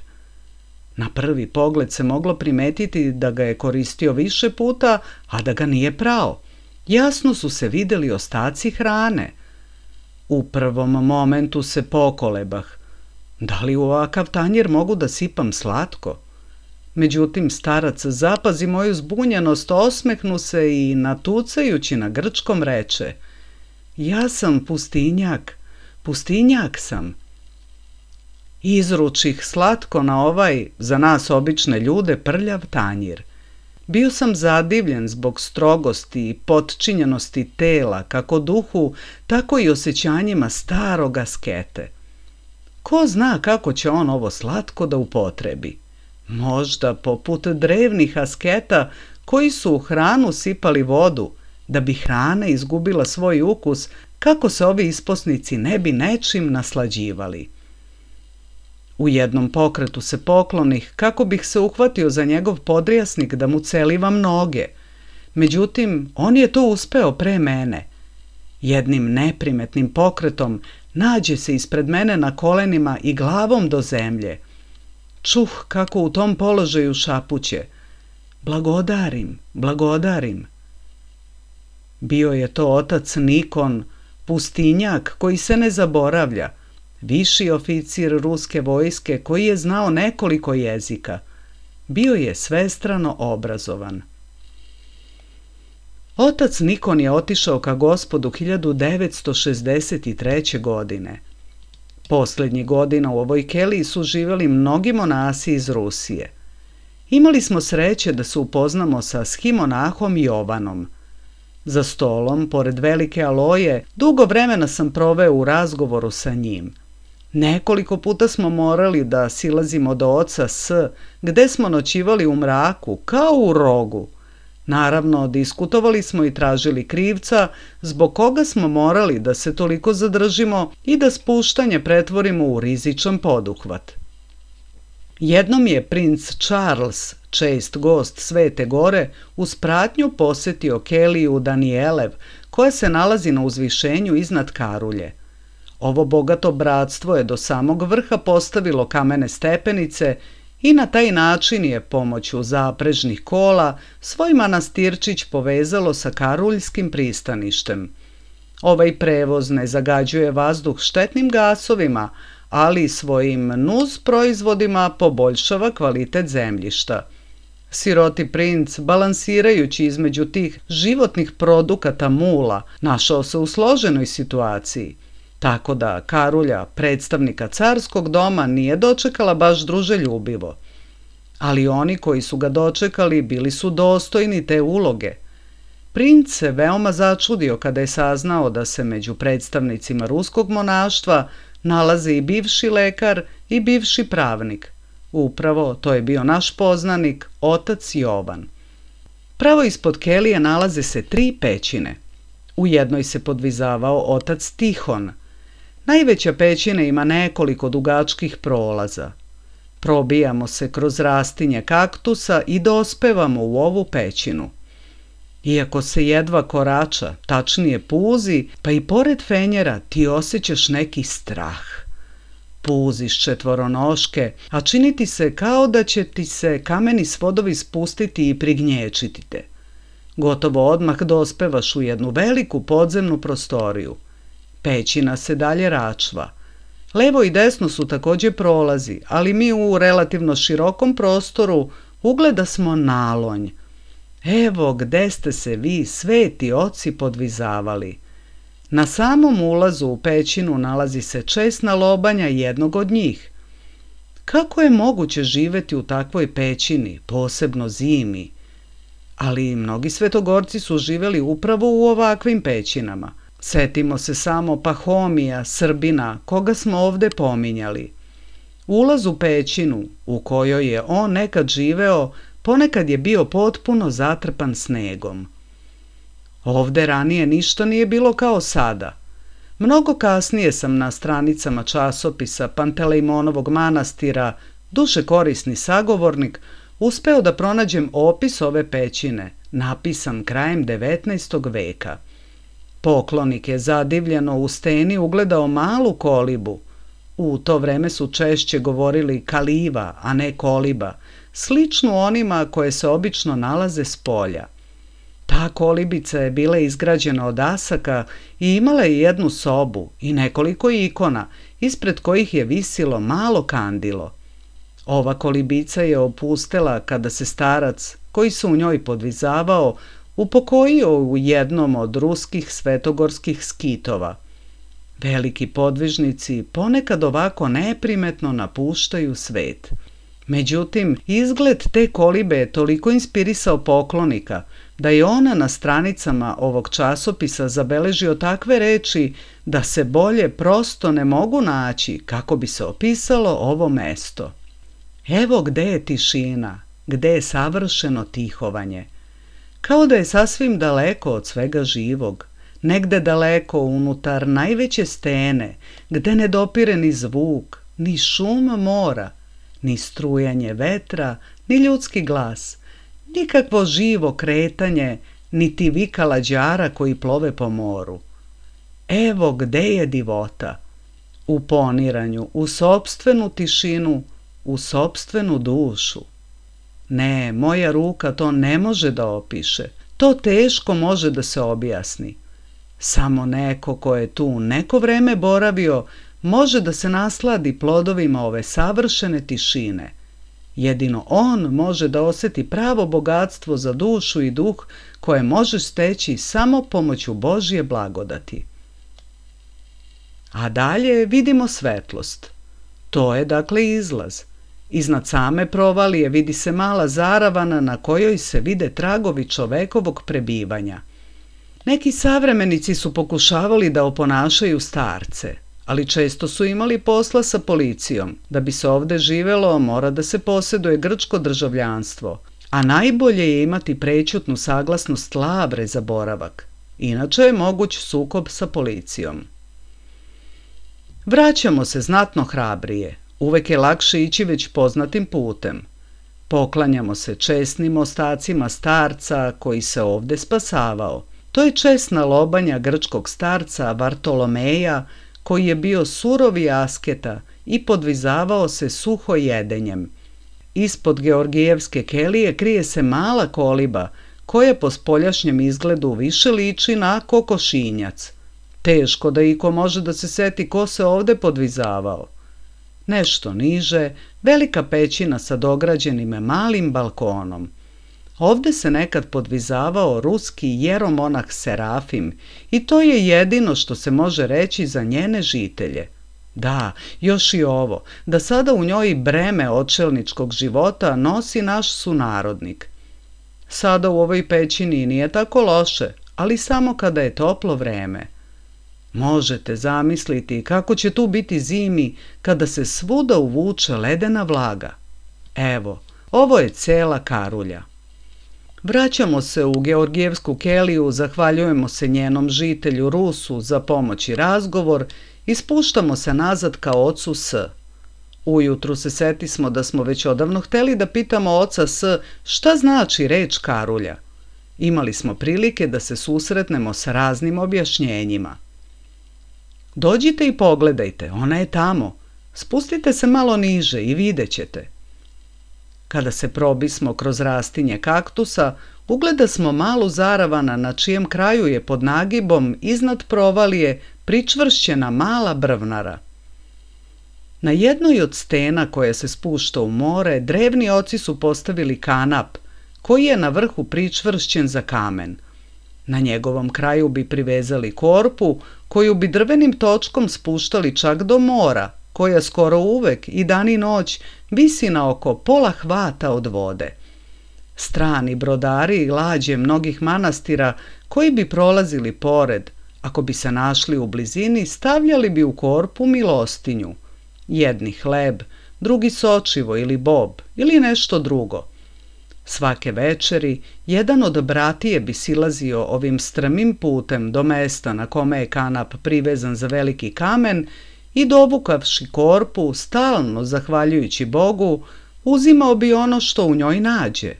Na prvi pogled se moglo primetiti da ga je koristio više puta, a da ga nije prao. Jasno su se videli ostaci hrane. U prvom momentu se pokolebah. Da li u ovakav tanjir mogu da sipam slatko? Međutim, starac zapazi moju zbunjenost, osmehnu se i natucajući na grčkom reče: ja sam pustinjak, pustinjak sam. Izručih slatko na ovaj, za nas obične ljude, prljav tanjir. Bio sam zadivljen zbog strogosti i potčinjenosti tela, kako duhu, tako i osjećanjima starog askete. Ko zna kako će on ovo slatko da upotrebi? Možda poput drevnih asketa koji su u hranu sipali vodu, da bi hrana izgubila svoj ukus, kako se ovi isposnici ne bi nečim naslađivali. U jednom pokretu se poklonih, kako bih se uhvatio za njegov podrijasnik da mu celivam noge. Međutim, on je to uspeo pre mene. Jednim neprimetnim pokretom nađe se ispred mene na kolenima i glavom do zemlje. Čuh kako u tom položaju šapuće: blagodarim, blagodarim. Bio je to otac Nikon, pustinjak koji se ne zaboravlja, viši oficir ruske vojske koji je znao nekoliko jezika. Bio je svestrano obrazovan. Otac Nikon je otišao ka Gospodu 1963. godine. Posljednjih godina u ovoj keliji su živjeli mnogi monasi iz Rusije. Imali smo sreće da se upoznamo sa schimonahom Jovanom. Za stolom, pored velike aloje, dugo vremena sam proveo u razgovoru sa njim. Nekoliko puta smo morali da silazimo do oca S, gde smo noćivali u mraku, kao u rogu. Naravno, diskutovali smo i tražili krivca zbog koga smo morali da se toliko zadržimo i da spuštanje pretvorimo u rizičan poduhvat. Jednom je princ Charles, čest gost Svete Gore, uz pratnju posetio keliju Danijelev, koja se nalazi na uzvišenju iznad Karulje. Ovo bogato bratstvo je do samog vrha postavilo kamene stepenice i na taj način je pomoću zaprežnih kola svoj manastirčić povezalo sa karuljskim pristaništem. Ovaj prevoz ne zagađuje vazduh štetnim gasovima, ali svojim nus proizvodima poboljšava kvalitet zemljišta. Siroti princ, balansirajući između tih životnih produkata mula, našao se u složenoj situaciji, tako da Karulja, predstavnika carskog doma, nije dočekala baš druželjubivo. Ali oni koji su ga dočekali bili su dostojni te uloge. Princ se veoma začudio kada je saznao da se među predstavnicima ruskog monaštva nalaze i bivši lekar i bivši pravnik. Upravo to je bio naš poznanik, otac Jovan. Pravo ispod kelije nalaze se 3 pećine. U jednoj se podvizavao otac Tihon. Najveća pećina ima nekoliko dugačkih prolaza. Probijamo se kroz rastinje kaktusa i dospevamo u ovu pećinu. Iako se jedva korača, tačnije puzi, pa i pored fenjera ti osjećaš neki strah. Puziš četvoronoške, a čini ti se kao da će ti se kameni svodovi spustiti i prignječiti te. Gotovo odmah dospevaš u jednu veliku podzemnu prostoriju. Pećina se dalje račva. Levo i desno su također prolazi, ali mi u relativno širokom prostoru ugleda smo nalonj. Evo gde ste se vi, sveti oci, podvizavali. Na samom ulazu u pećinu nalazi se česna lobanja jednog od njih. Kako je moguće živeti u takvoj pećini, posebno zimi? Ali mnogi svetogorci su živjeli upravo u ovakvim pećinama. Setimo se samo Pahomija, Srbina, koga smo ovde pominjali. Ulaz u pećinu, u kojoj je on nekad živeo, ponekad je bio potpuno zatrpan snegom. Ovde ranije ništa nije bilo kao sada. Mnogo kasnije sam na stranicama časopisa Pantelejmonovog manastira, duše korisni sagovornik, uspeo da pronađem opis ove pećine, napisan krajem 19. veka. Poklonik je zadivljeno u steni ugledao malu kolibu. U to vreme su češće govorili kaliva, a ne koliba, sličnu onima koje se obično nalaze s polja. Ta kolibica je bila izgrađena od asaka i imala je jednu sobu i nekoliko ikona, ispred kojih je visilo malo kandilo. Ova kolibica je opustela kada se starac, koji se u njoj podvizavao, upokojio u jednom od ruskih svetogorskih skitova. Veliki podvižnici ponekad ovako neprimetno napuštaju svet. Međutim, izgled te kolibe je toliko inspirisao poklonika da je ona na stranicama ovog časopisa zabeležio takve reči da se bolje prosto ne mogu naći kako bi se opisalo ovo mesto. Evo gde je tišina, gde je savršeno tihovanje. Kao da je sasvim daleko od svega živog, negde daleko unutar najveće stene, gde ne dopire ni zvuk, ni šum mora, ni strujanje vetra, ni ljudski glas, nikakvo živo kretanje, niti vika lađara koji plove po moru. Evo gde je divota, u poniranju, u sopstvenu tišinu, u sopstvenu dušu. Ne, moja ruka to ne može da opiše, to teško može da se objasni. Samo neko ko je tu neko vreme boravio može da se nasladi plodovima ove savršene tišine. Jedino on može da osjeti pravo bogatstvo za dušu i duh koje može steći samo pomoću Božje blagodati. A dalje vidimo svetlost. To je dakle izlaz. Iznad same provalije vidi se mala zaravana na kojoj se vide tragovi čovekovog prebivanja. Neki savremenici su pokušavali da oponašaju starce, ali često su imali posla sa policijom. Da bi se ovde živelo, mora da se posjeduje grčko državljanstvo, a najbolje je imati prećutnu saglasnost Lavre za boravak. Inače je moguć sukob sa policijom. Vraćamo se znatno hrabrije. Uvek je lakše ići već poznatim putem. Poklanjamo se česnim ostacima starca koji se ovde spasavao. To je česna lobanja grčkog starca Vartolomeja, koji je bio surovi asketa i podvizavao se suho jedenjem. Ispod Georgijevske kelije krije se mala koliba, koja po spoljašnjem izgledu više liči na kokošinjac. Teško da iko može da se seti ko se ovde podvizavao. Nešto niže, velika pećina sa dograđenim malim balkonom. Ovde se nekad podvizavao ruski jeromonah Serafim i to je jedino što se može reći za njene žitelje. Da, još i ovo, da sada u njoj breme očelničkog života nosi naš sunarodnik. Sada u ovoj pećini nije tako loše, ali samo kada je toplo vreme. Možete zamisliti kako će tu biti zimi kada se svuda uvuče ledena vlaga. Evo, ovo je cela Karulja. Vraćamo se u Georgijevsku keliju, zahvaljujemo se njenom žitelju Rusu za pomoć i razgovor i spuštamo se nazad ka ocu S. Ujutru se setismo da smo već odavno hteli da pitamo oca S šta znači reč Karulja. Imali smo prilike da se susretnemo sa raznim objašnjenjima. Dođite i pogledajte, ona je tamo. Spustite se malo niže i vidjet ćete. Kada se probismo kroz rastinje kaktusa, ugledasmo malu zaravana na čijem kraju je pod nagibom iznad provalije pričvršćena mala brvnara. Na jednoj od stena koja se spušta u more, drevni oci su postavili kanap, koji je na vrhu pričvršćen za kamen. Na njegovom kraju bi privezali korpu, koju bi drvenim točkom spuštali čak do mora, koja skoro uvek i dan i noć visi na oko pola hvata od vode. Strani brodari i lađe mnogih manastira koji bi prolazili pored, ako bi se našli u blizini, stavljali bi u korpu milostinju. Jedni hleb, drugi sočivo ili bob ili nešto drugo. Svake večeri jedan od bratije bi silazio ovim strmim putem do mesta na kome je kanap privezan za veliki kamen i dovukavši korpu, stalno zahvaljujući Bogu, uzimao bi ono što u njoj nađe.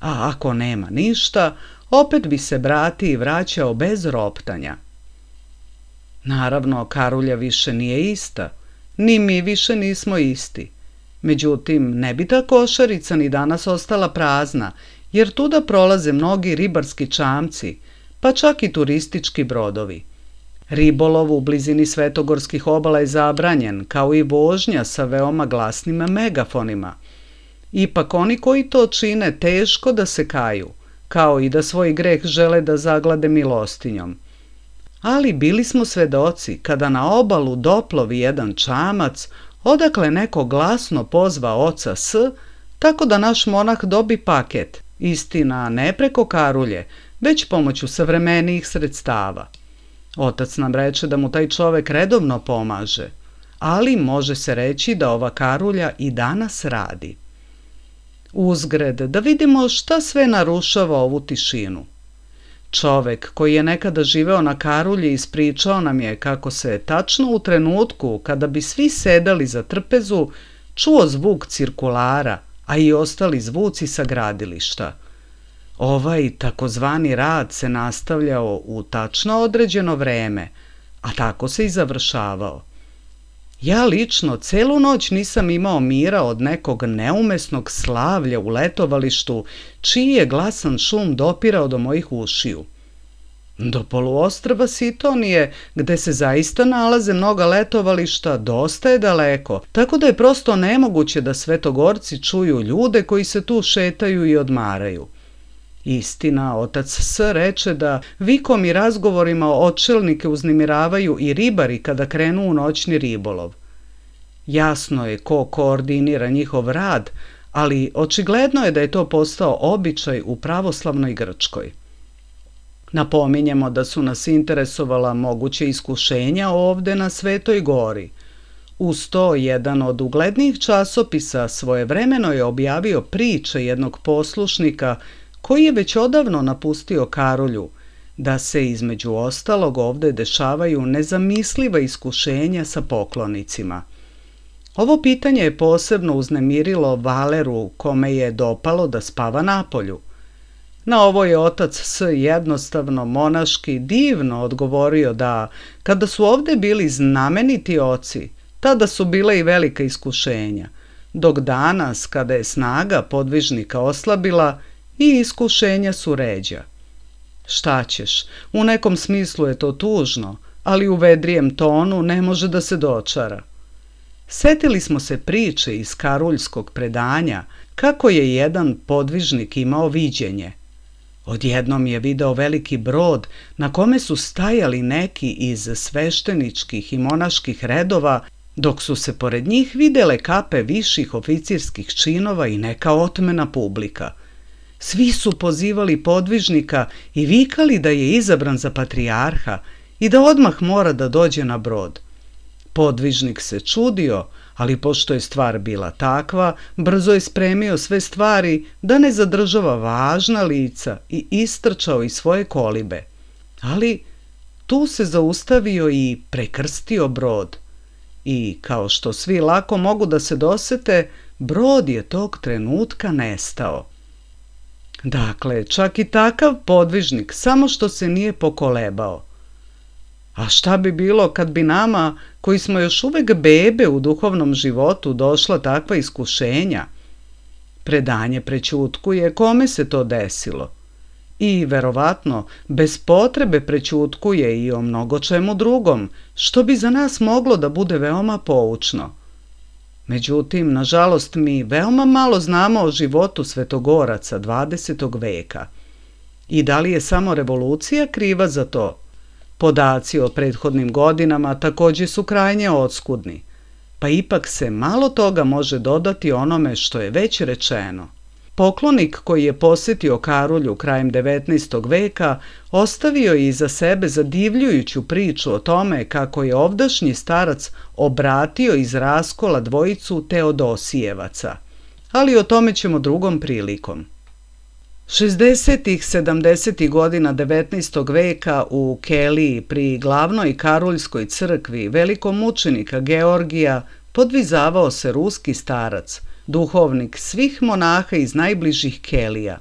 A ako nema ništa, opet bi se bratiji vraćao bez roptanja. Naravno, Karulja više nije ista, ni mi više nismo isti. Međutim, ne bi ta košarica ni danas ostala prazna, jer tuda prolaze mnogi ribarski čamci, pa čak i turistički brodovi. Ribolov u blizini svetogorskih obala je zabranjen, kao i vožnja sa veoma glasnim megafonima. Ipak oni koji to čine teško da se kaju, kao i da svoj greh žele da zaglade milostinjom. Ali bili smo svedoci kada na obalu doplovi jedan čamac, odakle neko glasno pozva oca S, tako da naš monah dobi paket, istina ne preko karulje, već pomoću savremenijih sredstava. Otac nam reče da mu taj čovek redovno pomaže, ali može se reći da ova karulja i danas radi. Uzgred, da vidimo šta sve narušava ovu tišinu. Čovek koji je nekada živeo na karulji ispričao nam je kako se tačno u trenutku kada bi svi sedali za trpezu čuo zvuk cirkulara, a i ostali zvuci sa gradilišta. Ovaj takozvani rad se nastavljao u tačno određeno vreme, a tako se i završavao. Ja lično celu noć nisam imao mira od nekog neumesnog slavlja u letovalištu, čiji je glasan šum dopirao do mojih ušiju. Do poluostrva Sitonije, gde se zaista nalaze mnoga letovališta, dosta je daleko, tako da je prosto nemoguće da svetogorci čuju ljude koji se tu šetaju i odmaraju. Istina, otac S reče da vikom i razgovorima očelnike uznemiravaju i ribari kada krenu u noćni ribolov. Jasno je ko koordinira njihov rad, ali očigledno je da je to postao običaj u pravoslavnoj Grčkoj. Napominjemo da su nas interesovala moguće iskušenja ovde na Svetoj gori. Uz to, jedan od uglednijih časopisa svojevremeno je objavio priče jednog poslušnika koji je već odavno napustio karulju, da se između ostalog ovde dešavaju nezamisliva iskušenja sa poklonicima. Ovo pitanje je posebno uznemirilo Valeru, kome je dopalo da spava napolju. Na ovo je otac S jednostavno monaški divno odgovorio da, kada su ovde bili znameniti oci, tada su bila i velika iskušenja, dok danas, kada je snaga podvižnika oslabila, i iskušenja su ređa. Šta ćeš, u nekom smislu je to tužno, ali u vedrijem tonu ne može da se dočara. Setili smo se priče iz karuljskog predanja kako je jedan podvižnik imao viđenje. Odjednom je video veliki brod na kome su stajali neki iz svešteničkih i monaških redova, dok su se pored njih videle kape viših oficirskih činova i neka otmena publika. Svi su pozivali podvižnika i vikali da je izabran za patrijarha i da odmah mora da dođe na brod. Podvižnik se čudio, ali pošto je stvar bila takva, brzo je spremio sve stvari da ne zadržava važna lica i istrčao iz svoje kolibe. Ali tu se zaustavio i prekrstio brod. I, kao što svi lako mogu da se dosete, brod je tog trenutka nestao. Dakle, čak i takav podvižnik, samo što se nije pokolebao. A šta bi bilo kad bi nama, koji smo još uvek bebe u duhovnom životu, došla takva iskušenja? Predanje prećutkuje kome se to desilo. I, verovatno, bez potrebe prećutkuje i o mnogo čemu drugom, što bi za nas moglo da bude veoma poučno. Međutim, nažalost, mi veoma malo znamo o životu svetogoraca 20. veka. I da li je samo revolucija kriva za to? Podaci o prethodnim godinama takođe su krajnje oskudni, pa ipak se malo toga može dodati onome što je već rečeno. Poklonik koji je posetio Karulju krajem 19. veka ostavio je iza sebe zadivljujuću priču o tome kako je ovdašnji starac obratio iz raskola dvojicu Teodosijevaca, ali o tome ćemo drugom prilikom. 60. 70. godina 19. veka u Keliji pri glavnoj karuljskoj crkvi velikomučenika Georgija podvizavao se ruski starac, duhovnik svih monaha iz najbližih Kelija.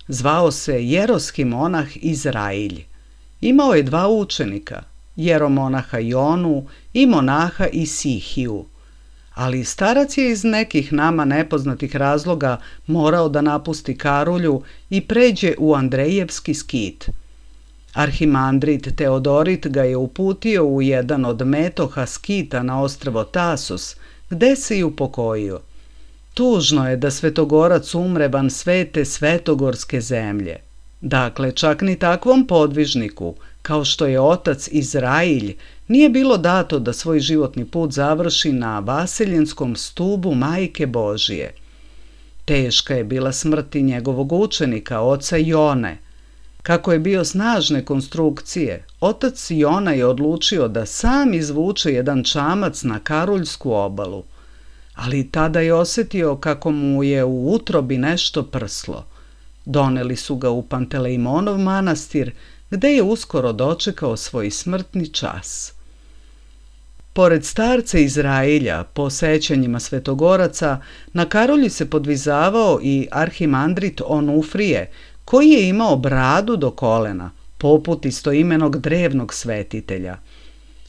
Zvao se jeroski monah Izrailj. Imao je 2 učenika, jeromonaha Jonu i monaha Isihiju. Ali starac je iz nekih nama nepoznatih razloga morao da napusti Karulju i pređe u Andrejevski skit. Arhimandrit Teodorit ga je uputio u jedan od metoha skita na ostrvo Tasos, gde se i upokojio. Tužno je da Svetogorac umre van svete svetogorske zemlje. Dakle, čak ni takvom podvižniku, kao što je otac Izrailj, nije bilo dato da svoj životni put završi na vaseljenskom stubu Majke Božije. Teška je bila smrt i njegovog učenika, oca Jone. Kako je bio snažne konstrukcije, otac Jona je odlučio da sam izvuče jedan čamac na Karuljsku obalu. Ali tada je osjetio kako mu je u utrobi nešto prslo. Doneli su ga u Pantelejmonov manastir, gde je uskoro dočekao svoj smrtni čas. Pored starca Izrailja, po sećanjima Svetogoraca, na Karolji se podvizavao i arhimandrit Onufrije, koji je imao bradu do kolena, poput istoimenog drevnog svetitelja.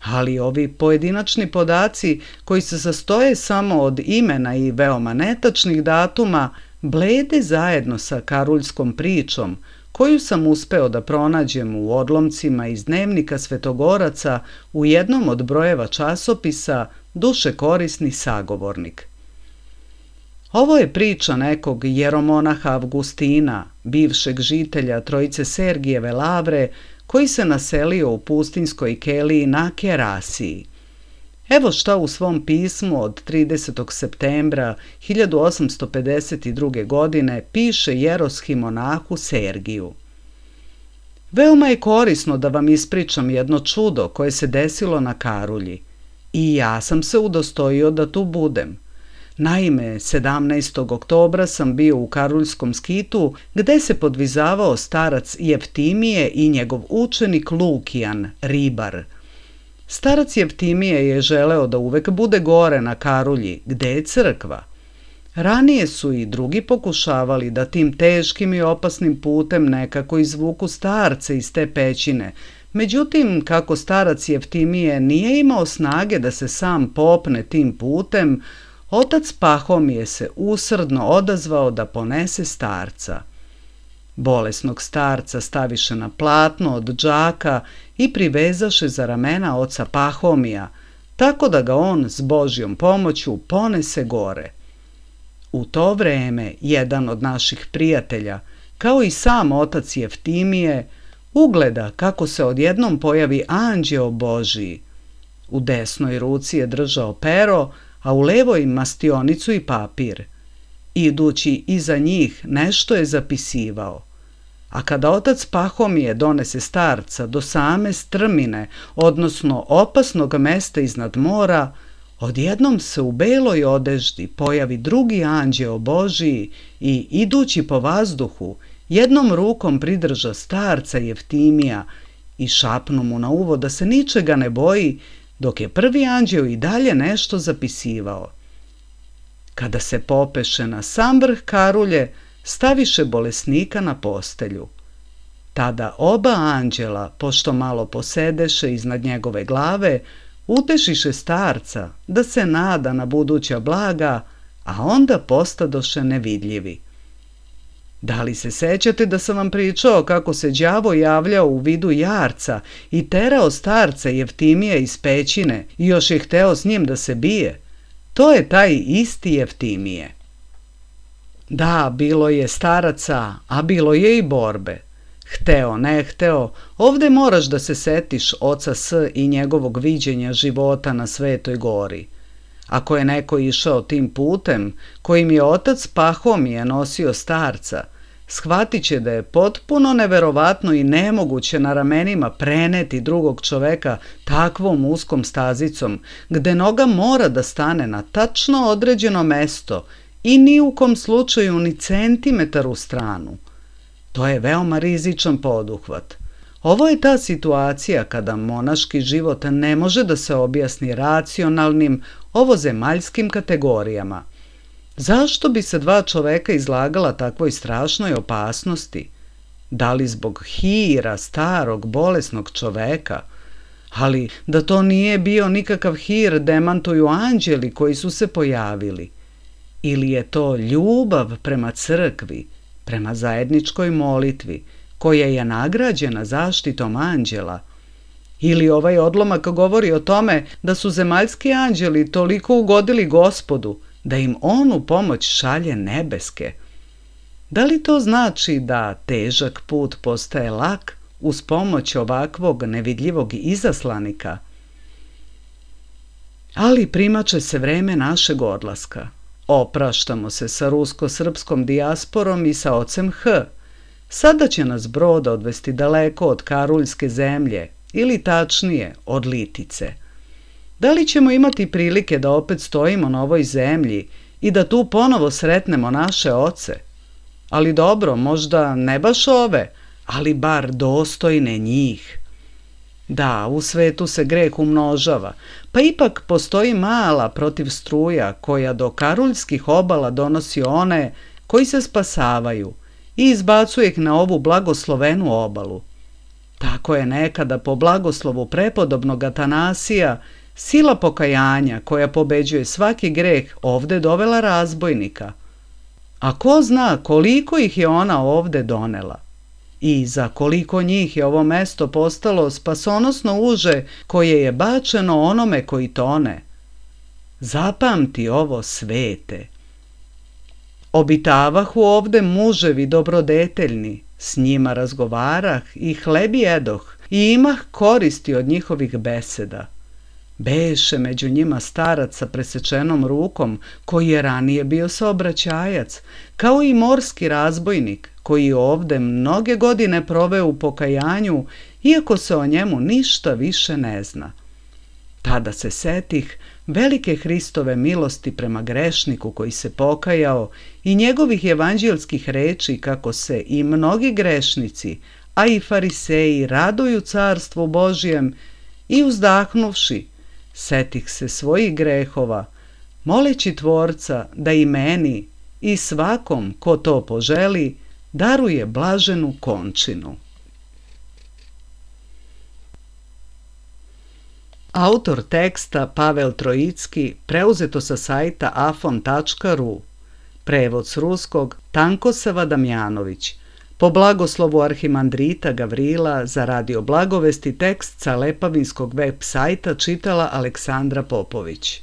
Ali ovi pojedinačni podaci, koji se sastoje samo od imena i veoma netačnih datuma, blede zajedno sa karuljskom pričom, koju sam uspeo da pronađem u odlomcima iz dnevnika Svetogoraca u jednom od brojeva časopisa Duše korisni sagovornik. Ovo je priča nekog jeromonaha Avgustina, bivšeg žitelja Trojice Sergijeve Lavre, koji se naselio u pustinskoj keliji na Kerasiji. Evo šta u svom pismu od 30. septembra 1852. godine piše jeroshimonahu Sergiju. Veoma je korisno da vam ispričam jedno čudo koje se desilo na Karulji. I ja sam se udostojio da tu budem. Naime, 17. oktobra sam bio u Karuljskom skitu gde se podvizavao starac Jeftimije i njegov učenik Lukijan, ribar. Starac Jeftimije je želeo da uvek bude gore na Karulji, gde je crkva. Ranije su i drugi pokušavali da tim teškim i opasnim putem nekako izvuku starce iz te pećine. Međutim, kako starac Jeftimije nije imao snage da se sam popne tim putem, otac Pahomije se usrdno odazvao da ponese starca. Bolesnog starca staviše na platno od džaka i privezaše za ramena oca Pahomija, tako da ga on s Božjom pomoću ponese gore. U to vreme jedan od naših prijatelja, kao i sam otac Jeftimije, ugleda kako se odjednom pojavi anđeo Božiji. U desnoj ruci je držao pero, a u levoj mastionicu i papir. Idući iza njih nešto je zapisivao. A kada otac Pahomije donese starca do same strmine, odnosno opasnog mesta iznad mora, odjednom se u beloj odeždi pojavi drugi anđeo Božiji i, idući po vazduhu, jednom rukom pridrža starca Jeftimija i šapnu mu na uvo da se ničega ne boji, dok je prvi anđeo i dalje nešto zapisivao. Kada se popeše na sam vrh Karulje, staviše bolesnika na postelju. Tada oba anđela, pošto malo posedeše iznad njegove glave, utešiše starca da se nada na buduća blaga, a onda postadoše nevidljivi. Da li se sećate da sam vam pričao kako se đavo javljao u vidu jarca i terao starca Jeftimija iz pećine i još je hteo s njim da se bije? To je taj isti Jeftimije. Da, bilo je staraca, a bilo je i borbe. Hteo, ne hteo, ovde moraš da se setiš oca S i njegovog viđenja života na Svetoj gori. Ako je neko išao tim putem kojim je otac Pahomije nosio starca, shvatit će da je potpuno neverovatno i nemoguće na ramenima preneti drugog čoveka takvom uskom stazicom, gde noga mora da stane na tačno određeno mesto i ni u kom slučaju ni centimetar u stranu. To je veoma rizičan poduhvat. Ovo je ta situacija kada monaški život ne može da se objasni racionalnim, ovozemaljskim kategorijama. Zašto bi se dva čoveka izlagala takvoj strašnoj opasnosti? Da li zbog hira starog, bolesnog čoveka? Ali da to nije bio nikakav hir demantuju anđeli koji su se pojavili. Ili je to ljubav prema crkvi, prema zajedničkoj molitvi, koja je nagrađena zaštitom anđela? Ili ovaj odlomak govori o tome da su zemaljski anđeli toliko ugodili Gospodu da im on u pomoć šalje nebeske. Da li to znači da težak put postaje lak uz pomoć ovakvog nevidljivog izaslanika? Ali primače se vreme našeg odlaska. Opraštamo se sa rusko-srpskom dijasporom i sa ocem H. Sada će nas brod odvesti daleko od Karuljske zemlje, ili tačnije, od Litice. Da li ćemo imati prilike da opet stojimo na ovoj zemlji i da tu ponovo sretnemo naše oce? Ali dobro, možda ne baš ove, ali bar dostojne njih. Da, u svetu se greh umnožava, pa ipak postoji mala protivstruja koja do karuljskih obala donosi one koji se spasavaju i izbacuje ih na ovu blagoslovenu obalu. Tako je nekada po blagoslovu prepodobnog Atanasija sila pokajanja koja pobeđuje svaki greh ovde dovela razbojnika. A ko zna koliko ih je ona ovde donela? I za koliko njih je ovo mesto postalo spasonosno uže koje je bačeno onome koji tone? Zapamti ovo, svete. Obitavahu ovde muževi dobrodeteljni, s njima razgovarah i hleb jedoh i imah koristi od njihovih beseda. Beše među njima starac sa presečenom rukom, koji je ranije bio saobraćajac, kao i morski razbojnik, koji je ovde mnoge godine proveo u pokajanju, iako se o njemu ništa više ne zna. Tada se setih velike Hristove milosti prema grešniku koji se pokajao i njegovih evanđelskih reči kako se i mnogi grešnici, a i fariseji raduju carstvu Božijem i uzdahnuvši, setih se svojih grehova, moleći Tvorca da i meni i svakom ko to poželi daruje blaženu končinu. Autor teksta Pavel Trojicki, preuzeto sa sajta afon.ru, prevod s ruskog Tankosava Damjanović, po blagoslovu arhimandrita Gavrila za Radio Blagovesti tekst sa Lepavinskog web sajta čitala Aleksandra Popović.